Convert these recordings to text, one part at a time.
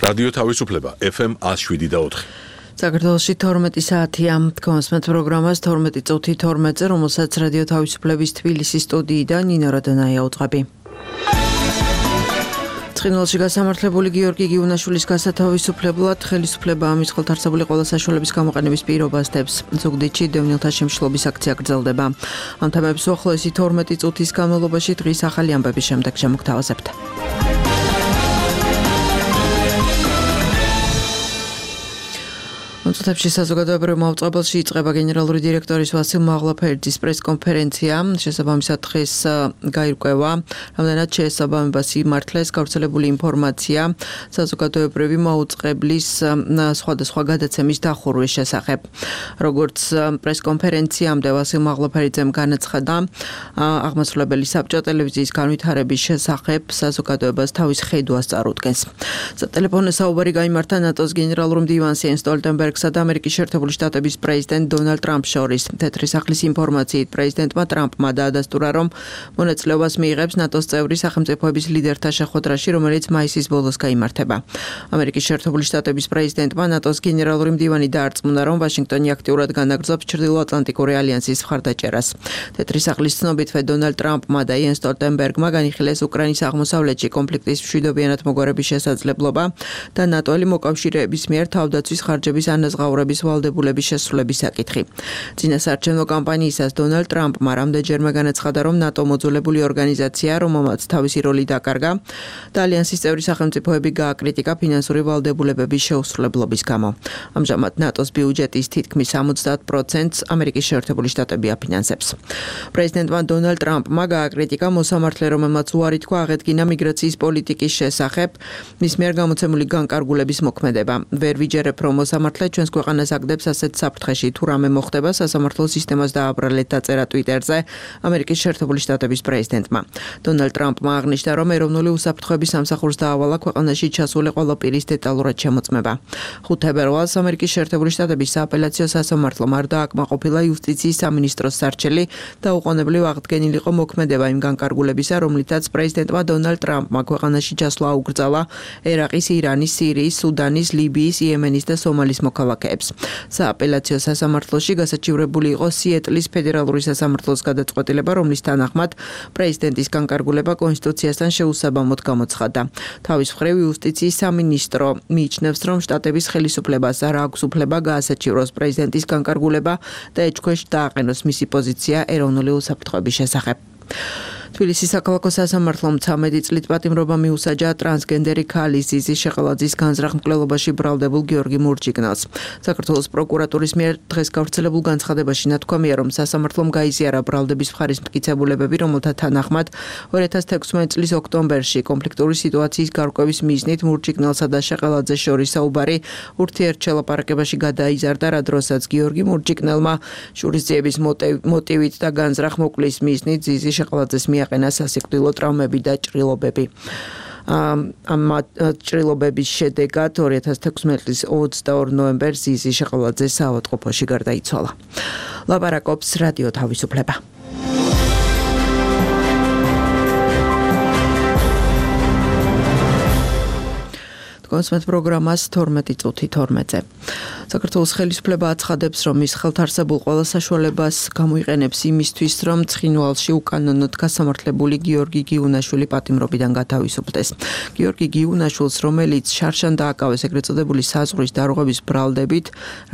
რადიო თავისუფლება FM 107.4. საქართველოში 12 საათია თქვენს პროგრამას 12 წუთი 12-ზე, რომელსაც რადიო თავისუფლების თბილისის სტუდიიდან ნინო რადონაია უწყები. ცხინვალში გასამართლებული გიორგი გიუნაშვილის გასათავისუფლებლად ხელისუფლება ამის ხელთარსებული ყველა საშუალების გამოყენების პირობას დებს. ზუგდიდში დევნილთა შემშლობის აქცია გრძელდება. ამ თემებს უახლოესი 12 წუთის განმავლობაში დღის ახალი ამბების შემდეგ შემოგთავაზებთ. Monțutepși საზოგადოებრივ მოწყობილში იწყება გენერალური დირექტორის ვასილ მაღლაფერიძის პრესკონფერენცია. შესაბამისად დღეს გაირკვევა, რამდენად შეესაბამებას იმართლეს გავრცელებული ინფორმაცია საზოგადოებრივი მოწყობილის სხვადასხვა გადაცემის დახურვის შესახებ. Როგორც პრესკონფერენციამდე ვასილ მაღლაფერიძემ განაცხადა, აღმასრულებელი საბჭო ტელევიზიის განვითარების შესახებ საზოგადოებას თავის ხედვას წარუდგენს. სატელეფონო საუბარი გაიმართა ნატოს გენერალურ მდივანს იენს სტოლტენბერგს და ამერიკის შეერთებული შტატების პრეზიდენტ დონალდ ტრამპს შორის. თეთრი სახლის ინფორმაციით პრეზიდენტმა ტრამპმა დაადასტურა, რომ მონაწილეობას მიიღებს ნატოს წევრი სახელმწიფოების ლიდერთა შეხვედრაში, რომელიც მაისის ბოლოს გაიმართება. ამერიკის შეერთებული შტატების პრეზიდენტმა ნატოს გენერალური მდივანი დაარწმუნა, რომ ვაშინგტონი აქტიურად განაგრძობს ჩრდილოატლანტიკური ალიანსის მხარდაჭერას. თეთრი სახლის ცნობითვე დონალდ ტრამპმა და იენს სტოლტენბერგმა განიხილეს უკრაინის აღმოსავლეთში კონფლიქტის მშვიდობიანად მოგონების შესაძლებლობა და ნატოელი მოკავშირეების მიერ თავდაცვის ხარჯების ანაზღაურების ვალდებულების შესრულების საკითხი. წინასაარჩევნო კამპანიისას დონალდ ტრამპმა რამდენჯერმე განაცხადა, რომ ნატო მოძველებული ორგანიზაცია, რომელმაც თავისი როლი დაკარგა და ალიანსის წევრი სახელმწიფოები გააკრიტიკა ფინანსური ვალდებულებების შეუსრულებლობის გამო. ამჟამად ნატოს ბიუჯეტის თითქმის 70%-ს ამერიკის შეერთებული შტატები აფინანსებს. პრეზიდენტმა დონალდ ტრამპმა გააკრიტიკა მოსამართლე, რომელმაც უარი თქვა აღედგინა მიგრაციის პოლიტიკის შესახებ, მის მიერ გამოცემული განკარგულების მოქმედება. ვერ ვიჯერებ, რომ მოსამართლე ჩვენს ქვეყანას აგდებს ასეთ საფრთხეში, თუ რამე მოხდება სასამართლო სისტემას დააბრალეთ დაწერა ტვიტერზე ამერიკის შეერთებული შტატების პრეზიდენტმა. დონალდ ტრამპმა აღნიშნა, რომ ეროვნული უსაფრთხოების სამსახურს დაავალა ქვეყანაში ჩასული ყველა პირის დეტალურად შემოწმება. 5 თებერვალს ამერიკის შეერთებული შტატების სააპელაციო სასამართლომ არ დააკმაყოფილა იუსტიციის სამინისტროს სარჩელი და უყონებლივ აღდგენილიყო მოქმედება იმ განკარგულებისა, რომლითაც პრეზიდენტმა დონალდ ტრამპმა ქვეყანაში ჩასვლა აუკრძალა ერაყის, ირანის, სირიის, სუდანის, ლიბიის, იემენის და სომალის მოქალაქეებს. სააპელაციო სასამართლოში გასაჩივრებული იყო სიეტლის ფედერალური სასამართლოს გადაწყვეტილება, რომლის თანახმად პრეზიდენტის განკარგულება კონსტიტუციასთან შეუსაბამოდ გამოცხადდა. თავის მხრივ იუსტიციის სამინისტრო მიიჩნევს, რომ შტატების ხელისუფლებას არ აქვს უფლება გაასაჩივროს პრეზიდენტის განკარგულება და ეჭქვეშ დააყენოს მისი პოზიცია ეროვნული უსაფრთხოების შესახებ. თბილისის საქალაქო სასამართლომ 13 წლით პატიმრობა მიუსაჯა ტრანსგენდერი ქალის ზიზი შეყელაძის განზრახ მკვლელობაში ბრალდებულ გიორგი მურჯიგნელს. საქართველოს პროკურატურის მიერ დღეს გავრცელებულ განცხადებაში ნათქვამია, რომ სასამართლომ გაიზიარა ბრალდების მხარის მტკიცებულებები, რომელთა თანახმად 2016 წლის ოქტომბერში კონფლიქტური სიტუაციის გარკვევის მიზნით მურჯიგნელსა და შეყელაძეს შორის საუბარი ურთიერთშელაპარაკებაში გადაიზარდა, რა დროსაც გიორგი მურჯიგნელმა შურისძიების მოტივით და განზრახ მოკლის მიზნით ზიზი შეყელაძეს მიაყენა სასიკვდილო ტრავმები და ჭრილობები. ამ ჭრილობების შედეგად 2016 წლის 22 ნოემბერს ზიზი შეყელაძე საავადმყოფოში გარდაიცვალა. ლაპარაკობს რადიო თავისუფლება. კონსმეთ პროგრამას 12 წუთი 12-ზე. საქართველოს ხელისუფლება აცხადებს, რომ ის ხელთარსებულ ყველა საშუალებას გამოიყენებს იმისთვის, რომ ცხინვალში უკანონოდ გასამართლებული გიორგი გიუნაშვილი პატიმრობიდან გათავისუფლდეს. გიორგი გიუნაშვილს, რომელიც შარშან დააკავეს ეგრეთ წოდებული საზღვრის დარღვევის ბრალდებით,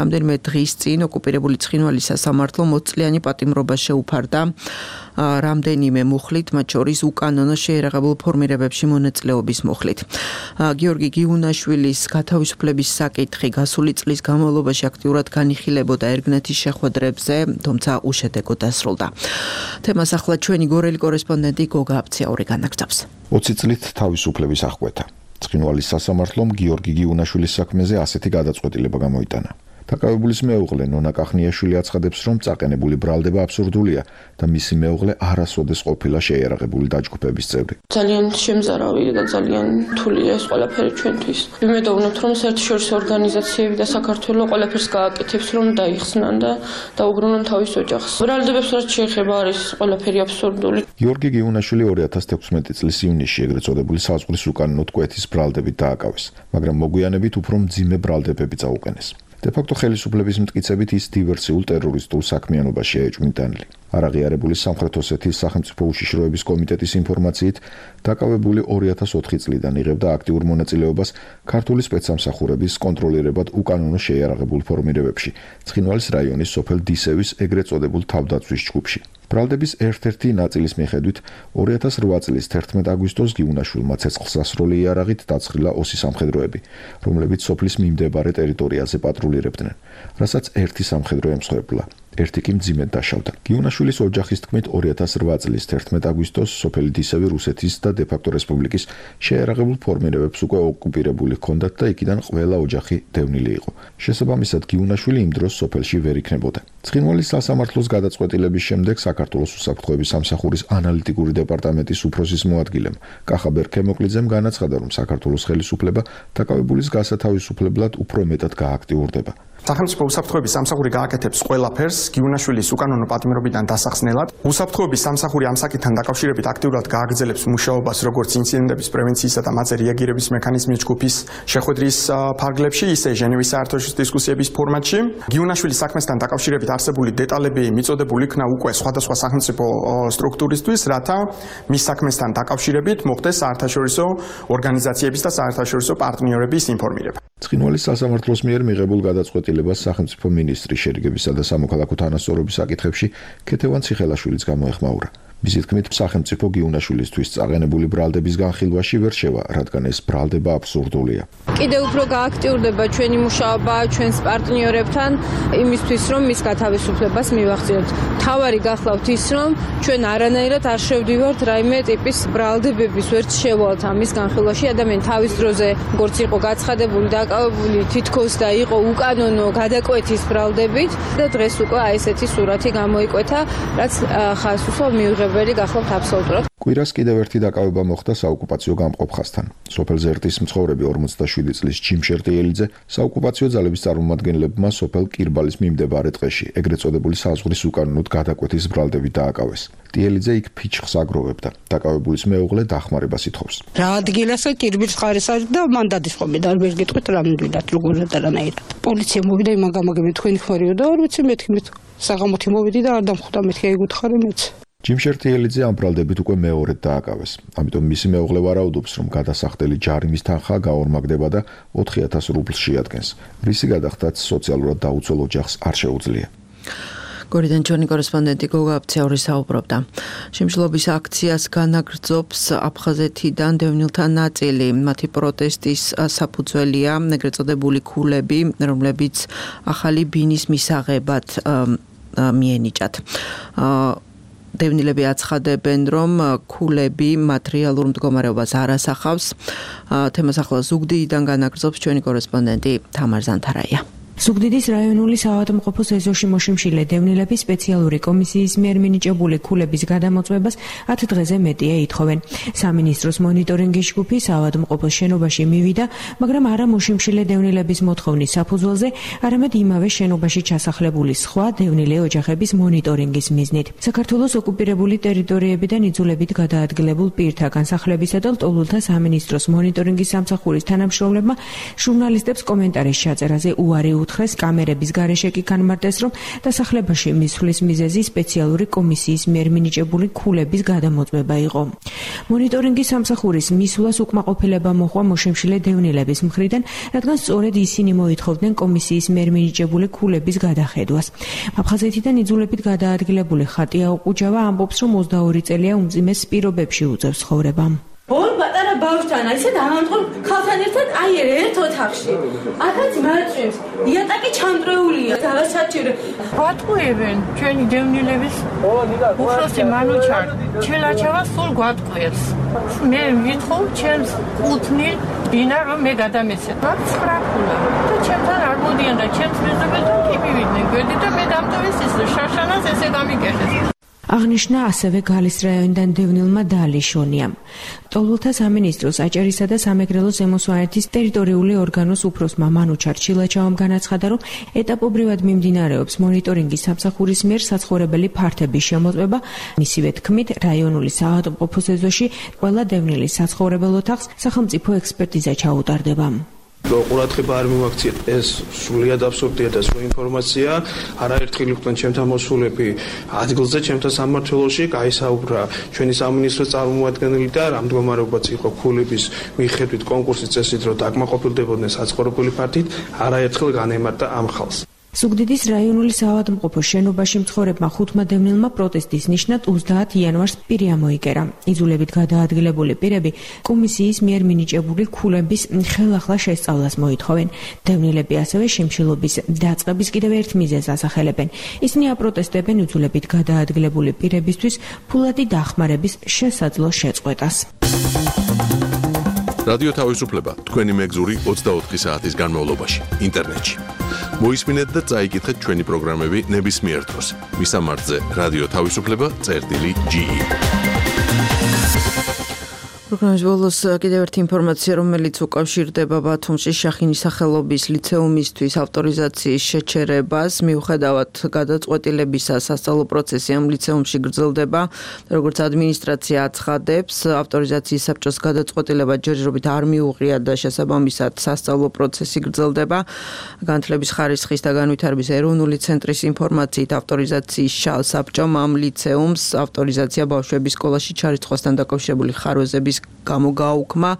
რამდენიმე დღის წინ ოკუპირებული ცხინვალის სასამართლო 20 წლიანი პატიმრობა შეუფარდა რამდენიმე მუხლით, მათ შორის უკანონო შეერაღებულ ფორმირებებში მონაწილეობის მუხლით. გიორგი გიუნაშვილის გათავისუფლების საკითხი გასული წლის განმავლობაში აქტიურად განიხილებოდა ერგნეთის შეხვედრებზე, თუმცა უშედეგოდ დასრულდა. თემას ახლა ჩვენი გორელი კორესპონდენტი გოგა აფციაური განაგრძობს. 20 წლით თავისუფლების აღკვეთა. ცხინვალის სასამართლომ გიორგი გიუნაშვილის საქმეზე ასეთი გადაწყვეტილება გამოიტანა. დაკავებულის მეუღლე ნონა კახნიაშვილი აცხადებს, რომ წაყენებული ბრალდება აბსურდულია და მისი მეუღლე არასოდეს ყოფილა შეიარაღებული დაჯგუფების წევრი. ძალიან შემზარავი და ძალიან რთულია ეს ყველაფერი ჩვენთვის. ვიმედოვნებთ, რომ საერთაშორისო ორგანიზაციები და საქართველოს ყველაფერს გააკეთებს, რომ დაიხსნან და დაუბრუნონ თავის ოჯახს. ბრალდებებს რაც შეეხება არის ყველაფერი აბსურდული. გიორგი გიუნაშვილი 2016 წლის ივნისში ეგრეთ წოდებული საზღვრის უკანონო კვეთის ბრალდებით დააკავეს, მაგრამ მოგვიანებით უფრო მძიმე ბრალდებები წაუყენეს. დე-ფაქტო ხელისუფლების მტკიცებით ის დივერსიულ ტერორისტულ საქმიანობაში ეჭვმიტანილი. არაღიარებული სამხრეთ ოსეთის სახელმწიფო უშიშროების კომიტეტის ინფორმაციით, დაკავებული 2004 წლიდან იღებდა აქტიურ მონაწილეობას ქართული სპეცსამსახურების კონტროლირებად უკანონო შეიარაღებულ ფორმირებებში, ცხინვალის რაიონის სოფელ დისევის ეგრეთ წოდებულ თავდაცვის ჯგუფში. ბრალდების ერთ-ერთი ნაწილის მიხედვით 2008 წლის 11 აგვისტოს გიუნაშვილმა ცეცხლსასროლი იარაღით დაცხრილა ოსი სამხედროები, რომლებიც სოფლის მიმდებარე ტერიტორიაზე პატრულირებდნენ, რასაც ერთი სამხედრო ემსხვერპლა. ერთი კი მძიმედ დაშავდა. გიუნაშვილის ოჯახის თქმით 2008 წლის 11 აგვისტოს სოფელი დისევი რუსეთის და დე-ფაქტო რესპუბლიკის შეიარაღებულ ფორმირებებს უკვე ოკუპირებული ჰქონდათ და იქიდან ყველა ოჯახი დევნილი იყო. შესაბამისად, გიუნაშვილი იმ დროს სოფელში ვერ იქნებოდა. ცხინვალის სასამართლოს გადაწყვეტილების შემდეგ საქართველოს უსაფრთხოების სამსახურის ანალიტიკური დეპარტამენტის უფროსის მოადგილემ კახა ბერქემოკლიძემ განაცხადა, რომ საქართველოს ხელისუფლება დაკავებულის გასათავისუფლებლად უფრო მეტად გააქტიურდება. სახელმწიფო უსაფრთხოების სამსახური გააკეთებს ყველაფერს გიუნაშვილის უკანონო პატიმრობიდან დასახსნელად. უსაფრთხოების სამსახური ამ საკითხთან დაკავშირებით აქტიურად გააგრძელებს მუშაობას როგორც ინციდენტების პრევენციისა და მათზე რეაგირების მექანიზმის ჯგუფის შეხვედრის ფარგლებში, ისე ჟენევის საერთაშორისო დისკუსიების ფორმატში. გიუნაშვილის საქმესთან დაკავშირებით არსებული დეტალები მიწოდებული იქნა უკვე სხვადასხვა სახელმწიფო სტრუქტურისთვის, რათა მის საქმესთან დაკავშირებით მოხდეს საერთაშორისო ორგანიზაციების და საერთაშორისო პარტნიორების ინფორმირება. ცხინვალის სასამართლოს მიერ მიღებულ გადაწყვეტილებას სახელმწიფო მინისტრი შერიგებისა და სამოქალაქო თანასწორობის საკითხებში ქეთევან ციხელაშვილიც გამოეხმაურა. მისი თქმით, სახელმწიფო გიუნაშვილისთვის წაყენებული ბრალდების განხილვაში ვერ შევა, რადგან ეს ბრალდება აბსურდულია. კიდევ უფრო გააქტიურდება ჩვენი მუშაობა ჩვენს პარტნიორებთან იმისთვის, რომ მის გათავისუფლებას მივახციოთ. თავარი გახლავთ ის, რომ ჩვენ არანაირად არ შევდივართ რაიმე ტიპის ბრალდებების ვერც შევალთ ამის განხილვაში. ადამიანი თავის დროზე როგორც იყო გაცხადებული, დაკავებული თითქოს და იყო უკანონო გადაკვეთის ბრალდებით და დღეს უკვე აი ესეთი სურათი გამოიკვეთა, რაც ხას უსვამ მიუღებელი გახლავთ აბსოლუტურად. კვირას კიდევ ერთი დაკავება მოხდა საოკუპაციო გამყოფ ხაზთან. სოფელ ზერტის მცხოვრები 47 წლის ჯიმშერ ტიელიძე საოკუპაციო ძალების წარმომადგენლებმა სოფელ კირბალის მიმდებარე ტყეში ეგრეთ წოდებული საზღვრის უკანონოდ გადაკვეთის ბრალდებით დააკავეს. ტიელიძე იქ ფიჩხს აგროვებდა. დაკავებულის მეუღლე დახმარებას ითხოვს. რა ადგილასა კირბის ხარეს არის და მან დადისხმები და ვერ გეტყვით რა მიდვილად როგორ დარანაირად. პოლიცია მოვიდა იმან გამაგებინეთ თქვენი ხმარიო და არ ვიცი მეთქი საღამოთი მოვიდი და არ დამხვდა მეთქი ეგუთხარი მეც. ჯიმშერ ტიელიძე ამ ბრალდებით უკვე მეორედ დააკავეს. ამიტომ მისი მეუღლე ვარაუდობს, რომ გადასახდელი ჯარიმის თანხა გაორმაგდება და 4000 რუბლს შეადგენს. რისი გადახდაც სოციალურად დაუცველ ოჯახს არ შეუძლია. გორიდან ჩვენი კორესპონდენტი გოგა აფციური საუბრობდა. შიმშილობის აქციას განაგრძობს აფხაზეთიდან დევნილთა ნაწილი. მათი პროტესტის საფუძველია ეგრეთ წოდებული ქულები, რომლებიც ახალი ბინის მისაღებად მიენიჭათ. დევნილები აცხადებენ, რომ ქულები მატერიალურ მდგომარეობას არ ასახავს. თემას ახლა ზუგდიდიდან განაგრძობს ჩვენი კორესპონდენტი თამარ ზანთარაია. ზუგდიდის რაიონული საავადმყოფოს ეზოში მოშიმშილე დევნილები სპეციალური კომისიის მიერ მინიჭებული ქულების გადამოწმებას 10 დღეზე მეტია ითხოვენ. სამინისტროს მონიტორინგის ჯგუფი საავადმყოფოს შენობაში მივიდა, მაგრამ არა მოშიმშილე დევნილების მოთხოვნის საფუძველზე, არამედ იმავე შენობაში ჩასახლებული სხვა დევნილე ოჯახების მონიტორინგის მიზნით. საქართველოს ოკუპირებული ტერიტორიებიდან იძულებით გადაადგილებულ პირთა განსახლებისა და ლტოლვილთა სამინისტროს მონიტორინგის სამსახურის თანამშრომლებმა ჟურნალისტებს კომენტარის ჩაწერაზე უარი უთხრეს, კამერების გარეშე კი განმარტეს, რომ დასახლებაში მისვლის მიზეზი სპეციალური კომისიის მიერ მინიჭებული ქულების გადამოწმება იყო. მონიტორინგის სამსახურის მისვლას უკმაყოფილება მოჰყვა მოშიმშილე დევნილების მხრიდან, რადგან სწორედ ისინი მოითხოვდნენ კომისიის მიერ მინიჭებული ქულების გადახედვას. აფხაზეთიდან იძულებით გადაადგილებული ხატია ოყუჯავა ამბობს, რომ 22 წელია უმძიმეს პირობებში უწევს ცხოვრება. ორ პატარა ბავშვთან ისე დავამწყობ ხალხთან ერთად აი ერთ ოთახში. აქაც მაწვევს. იატაკი ჩამტრეულია, დავასაჭირო. გვატყუებენ ჩვენი დევნილების უფროსი მანუჩარ ჩელაჩავა სულ გვატყუებს. მე ვითხოვ ჩემს კუთნილ ბინა რომ მე გადამეცეთ. მაგ ცხრაფულა და ჩემთან არ მოდიან და ჩემს მეზობელთან კი მივიდნენ გვერდით და მე დამტოვეს ის შაშანას ესე გამიგერეს. აღნიშნა ასევე გალის რაიონიდან დევნილმა დაალიშონიამ. ტოლულთა სამინისტროს აჭარისა და სამეგრელოს ზემოსვანეთის ტერიტორიული ორგანოს უფროსმა მანუჩარ ჩილაჩავამ განაცხადა, რომ ეტაპობრივად მიმდინარეობს მონიტორინგის სამსახურის მიერ საცხოვრებელი ფართების შემოწმება. მისივე თქმით, რაიონული საავადმყოფოს ეზოში ყველა დევნილის საცხოვრებელ ოთახს სახელმწიფო ექსპერტიზა ჩაუტარდება. ყურადღება არ მივაქციეთ, ეს სრულიად აბსურდია და სულ ინფორმაცია. არაერთხელ იყვნენ ჩემთან მოსულები ადგილზე, ჩემთან სამმართველოში, გაისაუბრა ჩვენი სამინისტროს წარმომადგენელი და რა მდგომარეობაც იყო ქულების მიხედვით კონკურსის წესით, რომ დაკმაყოფილდებოდნენ საცხოვრებელი ფართით, არაერთხელ განემარტა ამ ხალხს. ზუგდიდის რაიონული საავადმყოფოს შენობაში მცხოვრებმა 5 დევნილმა პროტესტის ნიშნად 30 იანვარს პირი ამოიკერა. იძულებით გადაადგილებული პირები კომისიის მიერ მინიჭებული ქულების ხელახლა შესწავლას მოითხოვენ. დევნილები ასევე შიმშილობის დაწყების კიდევ ერთ მიზეზს ასახელებენ. ისინი აპროტესტებენ იძულებით გადაადგილებული პირებისთვის ფულადი დახმარების შესაძლო შეწყვეტას. რადიო თავისუფლება თქვენი მეგზური 24 საათის განმავლობაში ინტერნეტში. მოისმინეთ და წაიკითხეთ ჩვენი პროგრამები ნებისმიერ დროს. მისამართზე რადიო თავისუფლება.ge. პროგრამის ბოლოს კიდევ ერთი ინფორმაცია, რომელიც უკავშირდება ბათუმში შახინის სახელობის ლიცეუმისთვის ავტორიზაციის შეჩერებას. მიუხედავად გადაწყვეტილებისა, სასწავლო პროცესი ამ ლიცეუმში გრძელდება. როგორც ადმინისტრაცია აცხადებს, ავტორიზაციის საბჭოს გადაწყვეტილება ჯერჯერობით არ მიუღია და შესაბამისად სასწავლო პროცესი გრძელდება. განათლების ხარისხის და განვითარების ეროვნული ცენტრის ინფორმაციით ავტორიზაციის საბჭომ ამ ლიცეუმს ავტორიზაცია ბავშვების სკოლაში ჩარიცხვასთან დაკავშირებული ხარვეზების გამო გააუქმა.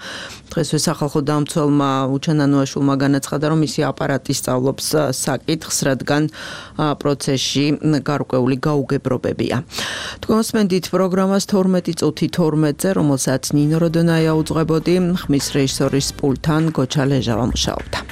დღესვე სახალხო დამცველმა უჩანანოაშვილმა განაცხადა, რომ მისი აპარატი სწავლობს საკითხს, რადგან პროცესში გარკვეული გაუგებრობებია. თქვენ მოსმენთ პროგრამას 12 წუთი 12-ზე, რომელსაც ნინო როდონაია უძღვებოდი, ხმის რეჟისორის პულტთან გოჩა ლეჟავა მუშაობდა.